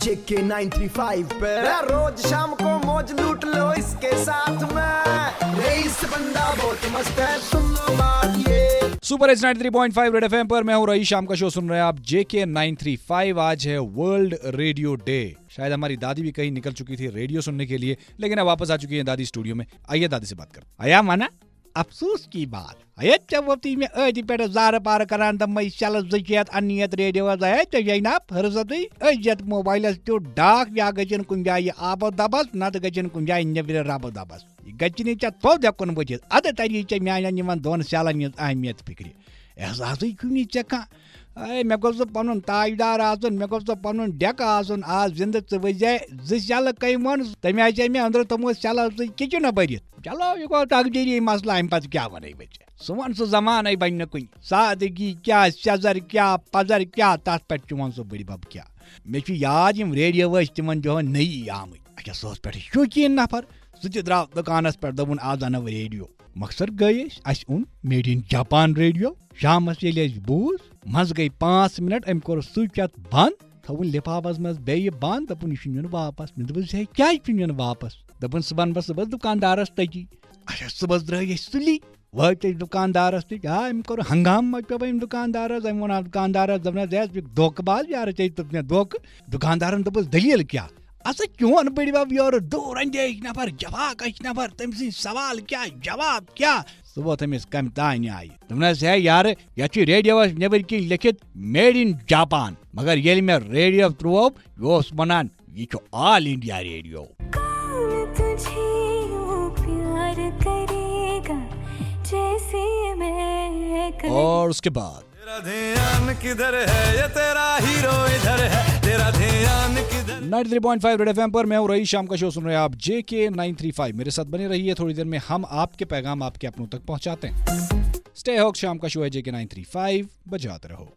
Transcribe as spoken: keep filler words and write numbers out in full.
JK nine three five पे रोज शाम को मौज लूट लो इसके साथ में। रईस बंदा बहुत मस्त है, सुन लो बात ये। Super hits ninety three point five red FM पर मैं हूं रईस। शाम का शो सुन रहे हैं आप जेके नाइन थ्री फ़ाइव। आज है वर्ल्ड रेडियो डे। शायद हमारी दादी भी कहीं निकल चुकी थी रेडियो सुनने के लिए, लेकिन अब वापस आ चुकी है दादी स्टूडियो में। आइए दादी से बात करते हैं। आया माना अफसोस की बात। ہے ژےٚ ووٚتُے مےٚ أتھۍ پٮ۪ٹھ زارٕ پارٕ کران تِمَے شیٚلہٕ زٕ شیٚتھ اَننہِ یَتھ ریڈیوَس۔ ہے ژےٚ چھے نا فرصتٕے؟ أزیَت موبایلَس تیُتھ ڈاکھ، یا گٔژھِن کُنہِ جایہِ آب و دبس، نتہٕ گٔژھِن کُنہِ جایہِ نیٚبرِ رب و دبس۔ یہِ گٔژھِنٕے ژےٚ تھوٚد ہٮ۪کُن بٔچھِتھ۔ اَدٕ تَری ژےٚ میٛانٮ۪ن یِمَن دۄن شیٚلَن ہِنٛز اہمیت فِکرِ۔ احساسٕے چھُنہٕ ژےٚ کانٛہہ۔ اے، مےٚ گوٚژھ نہٕ پنُن تاجدار آسُن، مےٚ گوٚژھ نہٕ پنُن ڈیکہٕ آسُن۔ آز زِندٕ ژٕ ؤزے زٕ شیٚلہٕ کٔمۍ ووٚن؟ تٔمۍ آسے مےٚ أنٛدرٕ تِمو شیٚلو سۭتۍ کِچنہٕ بٔرِتھ۔ چلو، یہِ گوٚو تقدیٖری مسلہٕ، اَمہِ پتہٕ کیٛاہ وَنَے بہٕ ژےٚ؟ سُہ وَن سُہ زمانَے بَنہِ نہٕ کُنہِ۔ سادٕگی کیٛاہ، سٮ۪زر کیٛاہ، پَزر کیٛاہ، تَتھ پٮ۪ٹھ چون سُہ بٕڈِ بَب کیٛاہ۔ مےٚ چھُ یاد یِم ریڈیو ٲسۍ تِمن دۄہن نٔیی آمٕتۍ۔ اچھا، سُہ اوس پٮ۪ٹھٕ شوقیٖن نفر۔ سُہ تہِ درٛاو دُکانس پٮ۪ٹھ، دوٚپُن، "آز اَنو ریڈیو۔" مقصد گٔے أسۍ، اَسہِ اوٚن میڈ اِن جاپان ریڈیو۔ شامس ییٚلہِ اَسہِ بوٗز، منٛزٕ گٔے پانٛژھ منٹ، أمۍ کوٚر سُچ اَتھ بنٛد، تھوٚوُن لِفافس منٛز بیٚیہِ بنٛد، دوٚپُن، "یہِ چھُنہٕ یُن واپس۔" مےٚ دوٚپُس، "ہے، کیٛازِ چھُنہٕ یُن واپس؟" دوٚپُن، "صُبحن بس صُبحس دُکاندارس تٔتی۔" اچھا، صُبحس درٛاے أسۍ سُلی، وٲتۍ أسۍ دُکاندارس نِش۔ آ، أمۍ کوٚر ہنگامہٕ مچوو أمۍ دُکاندارس۔ أمۍ ووٚن اَتھ دُکاندارس، دوٚپنس، "ہے، ژٕ چھُکھ دھوکہٕ باز، یارٕ، ژےٚ دیُت مےٚ دھوکہٕ۔" دُکاندارن دوٚپُس، "دٔلیٖل کیٛاہ؟ اَسا چون بٔڈِ بب یورٕ دوٗر اندیش نفر، جفاکش نفر، تٔمۍ سٕنٛدۍ سوال کیٛاہ، جواب کیٛاہ؟" سُہ ووت أمِس کمہِ تانۍ آیہِ۔ دوٚپنس، "ہے یارٕ، یتھ چھُ ریڈیوس نیبٕرۍ کِنۍ لیکھِتھ میڈ اِن جاپان، مگر ییٚلہِ مےٚ ریڈیو ترٛوو، یہِ اوس ونان، یہِ چھُ آل انڈیا ریڈیو۔" कौन तुझे यूं प्यार करेगा जैसे मैं कर और उसके बाद तेरा ध्यान किधर है, ये तेरा हीरो इधर है। तेरा ध्यान किधर। Ninety three point five red FM पर मैं हूं रईस। शाम का शो सुन रहे हैं आप जेके नाइन थ्री फ़ाइव। मेरे साथ बने रहिए, थोड़ी देर में हम आपके पैगाम आपके अपनों तक पहुंचाते हैं। Stay hooked. शाम का शो है जेके नाइन थ्री फ़ाइव, बजाते रहो।